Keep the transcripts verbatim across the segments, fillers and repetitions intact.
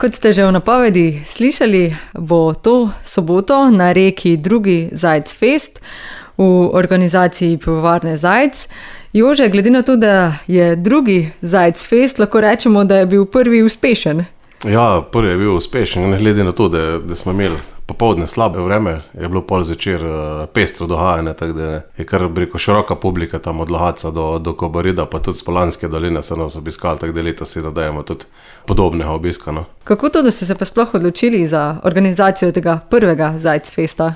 Kot ste že v napovedi slišali, bo to soboto na reki drugi Zajc Fest v organizaciji pivovarne Zajc. Jože, glede na to, da je drugi Zajc Fest, lahko rečemo, da je bil prvi uspešen. Ja, prvi je bil uspešen, glede na to, da, da smo imeli popoldne slabe vreme, je bilo pol zvečer pestro dogajanje, tako da je kar preko široka publika tam od Lohatca do, do Kobarida, pa tudi z Polanske doline se nas obiskali, tako da leta si nadajemo tudi podobnega obiska. No. Kako to, da ste se pa sploh odločili za organizacijo tega prvega Zajc Festa?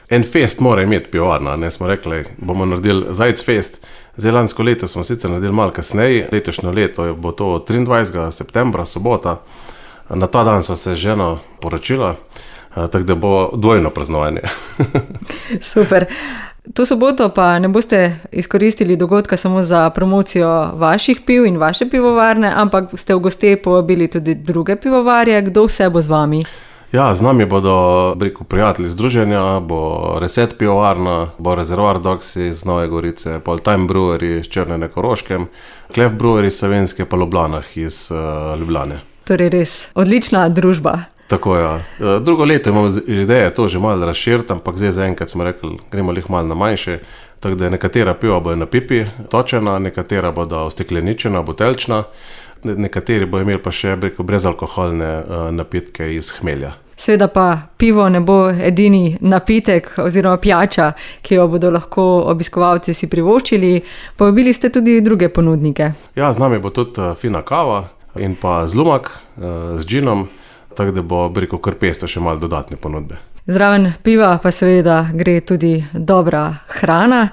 En fest mora imeti pivovarna, ne smo rekli, bomo naredili Zajc Fest. Zdaj lansko leto smo sicer naredili malo kasneje, letošnjo leto bo to triindvajsetega septembra, sobota. Na ta dan so se ženo poročila, tako da bo dvojno praznovanje. Super. To soboto pa ne boste izkoristili dogodka samo za promocijo vaših piv in vaše pivovarne, ampak ste v goste povabili tudi druge pivovarje. Kdo vse bo z vami? Ja, z nami bodo rekel, prijatelji združenja, bo Reset pivovarna, bo Rezervoar Doksi iz Nove Gorice, Pol Time Brewery iz Črne na Koroškem, Klef Brewery iz Savinjske pa Ljublanah iz uh, Ljubljane. Torej res odlična družba. Tako ja. Drugo leto imamo ideje to že malo razširiti, ampak zdaj zaenkrat smo rekli, gremo lih malo na manjše, tako da nekatera piva bojo na pipi točena, nekatera bodo ustekleničena, buteljčna, nekateri bojo imeli pa še rekel, brezalkoholne uh, napitke iz hmelja. Seveda pa pivo ne bo edini napitek oziroma pijača, ki jo bodo lahko obiskovalci si privoščili. Povabili ste tudi druge ponudnike. Ja, z nami bo tudi uh, fina kava in pa zlumak uh, z džinom, tako da bo rekel, kar pesto še malo dodatne ponudbe. Zraven piva pa seveda gre tudi dobra hrana.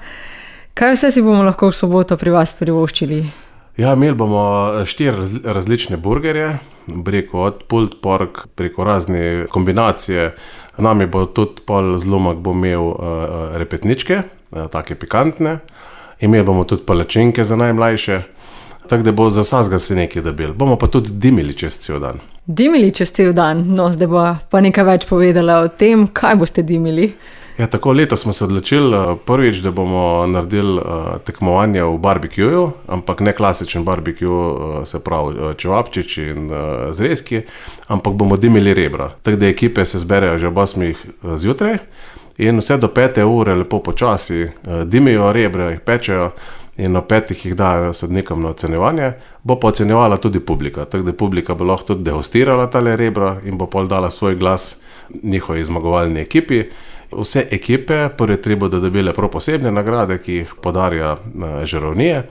Kaj vse si bomo lahko v soboto pri vas privoščili? Ja, imeli bomo štiri različne burgerje, preko od pulled pork, preko razne kombinacije. Nami bo tudi pol zlomak bo imel uh, repetničke, uh, take pikantne. Imeli bomo tudi palačinke za najmlajše, tako da bo za vsakega se nekaj dobili. Bomo pa tudi dimili čez cel dan. Dimili čez cel dan? No, zdaj bo pa nekaj več povedala o tem, kaj boste dimili. Ja, tako leto smo se odločili prvič, da bomo naredili uh, tekmovanje v barbekuju, ampak ne klasičen barbekju, uh, se pravi čevapčič in uh, zrezki, ampak bomo dimili rebra. Tako da ekipe se zberejo že ob osmih zjutraj in vse do pete ure lepo počasi uh, dimijo rebra, jih pečejo in ob petih jih dajo sodnikom na ocenjevanje. Bo pa ocenjevala tudi publika, tako da publika bo lahko tudi degustirala tale rebra in bo pol dala svoj glas njihovi zmagovalni ekipi. Vse ekipe, prvi tri bodo dobile prav posebne nagrade, ki jih podarja žarovnije,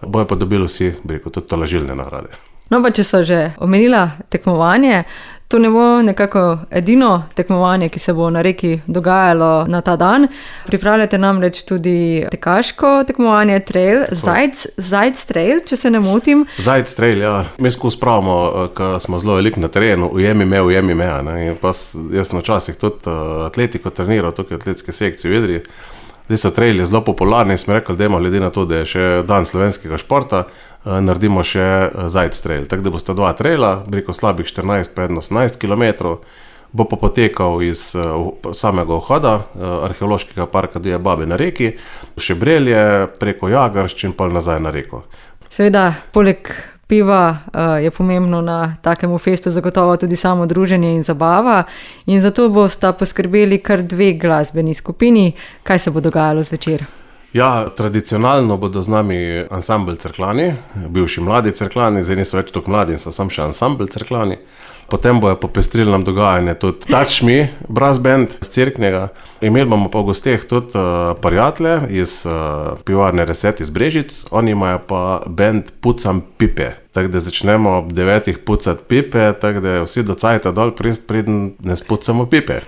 bojo pa dobili vsi, rekel, tudi tolažilne nagrade. No, pa če so že omenila tekmovanje, to ne bo nekako edino tekmovanje, ki se bo na reki dogajalo na ta dan. Pripravljate namreč tudi tekaško tekmovanje Trail, Zajc, Zajc Trail, če se ne motim. Zajc Trail, ja. Mi skozi pravimo, ko smo zelo veliko na terenu, ujemi me, ujemi me. Ne? In pa jaz na časih tudi atletiko treniral, tukaj v atletske sekcije v Idriji. Zdaj so traili zelo popularni in smo rekli, da imamo glede na to, da je še dan slovenskega športa, naredimo še Zajc Trail. Tako da bosta dva traila, preko slabih štirinajst pa osemnajst kilometrov, bo pa potekal iz samega vhoda arheološkega parka Divje babe na reki, še Brelje, preko Jagaršč in pa nazaj na reko. Seveda, poleg piva je pomembno na takemu festu zagotovo tudi samo druženje in zabava in zato bosta poskrbeli kar dve glasbeni skupini. Kaj se bo dogajalo zvečer? Ja, tradicionalno bodo z nami ansambl Cerklani, bivši mladi Cerklani, zdaj niso več toliko mladi in so sam še ansambl Cerklani. Potem bojo popestrili nam dogajanje tudi Touch Me, brass band z Cerknega. Imeli bomo pa v gosteh tudi uh, prijatelje iz uh, pivovarne Reset iz Brežic, oni imajo pa band Pucam pipe. Tako da začnemo ob devetih pucati pipe, tako da vsi do cajta dol prist preden ne spucamo pipe.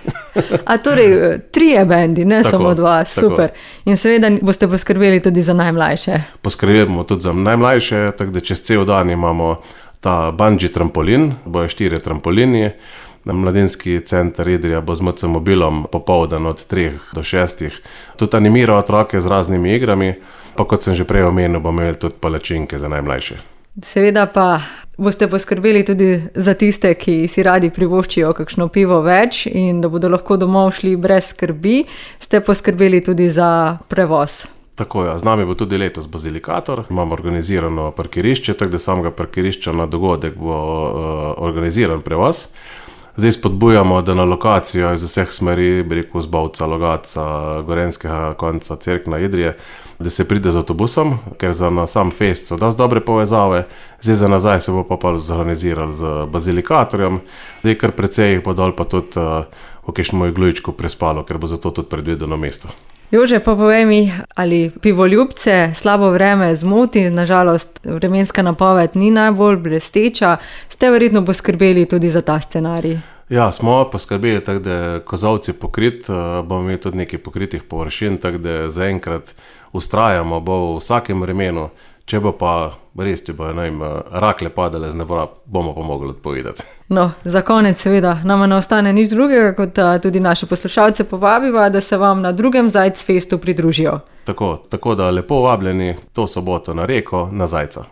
A torej, trije bendi, ne tako, samo dva, super. Tako. In seveda boste poskrbeli tudi za najmlajše. Poskrbeli bomo tudi za najmlajše, tako da čez cel dan imamo ta bungee trampolin, bojo štiri trampolini. Mladinski center Idrija bo z M C mobilom popoldan od treh do šestih. Tudi animira otroke z raznimi igrami, pa kot sem že prej omenil, bomo imeli tudi palačinke za najmlajše. Seveda pa boste poskrbeli tudi za tiste, ki si radi privoščijo kakšno pivo več in da bodo lahko domov šli brez skrbi. Ste poskrbeli tudi za prevoz. Tako je, z nami bo tudi letos bazilikator, imamo organizirano parkirišče, tako da samega parkirišča na dogodek bo uh, organiziran prevoz. Zdaj spodbujamo, da na lokacijo iz vseh smeri, bi rekel, z Bovca, Logatca, Gorenjskega konca, Cerkna, Idrije, da se pride z avtobusom, ker za na sam fest so dosti dobre povezave, zdaj za nazaj se bo pa pa zorganizirali z bazilikatorjem, zdaj kar precej jih bo dol pa tudi uh, v kakšnem iglujičku prespalo, ker bo zato tudi predvideno mesto. Jože, pa povej mi, ali pivoljubce slabo vreme zmoti, nažalost vremenska napoved ni najbolj blesteča, ste verjetno poskrbeli tudi za ta scenarij? Ja, smo poskrbeli, tako da je kozolci pokrit, bomo imeli tudi nekaj pokritih površin, tako da zaenkrat ustrajamo, bo v vsakem vremenu, če bo pa res, če bo ne vem, rakle padale z neba, bomo pa mogli odpovedati. No, za konec seveda, nama ne ostane nič drugega, kot tudi naše poslušalce povabiva, da se vam na drugem Zajc festu pridružijo. Tako, tako da lepo vabljeni to soboto na Reko, na Zajca.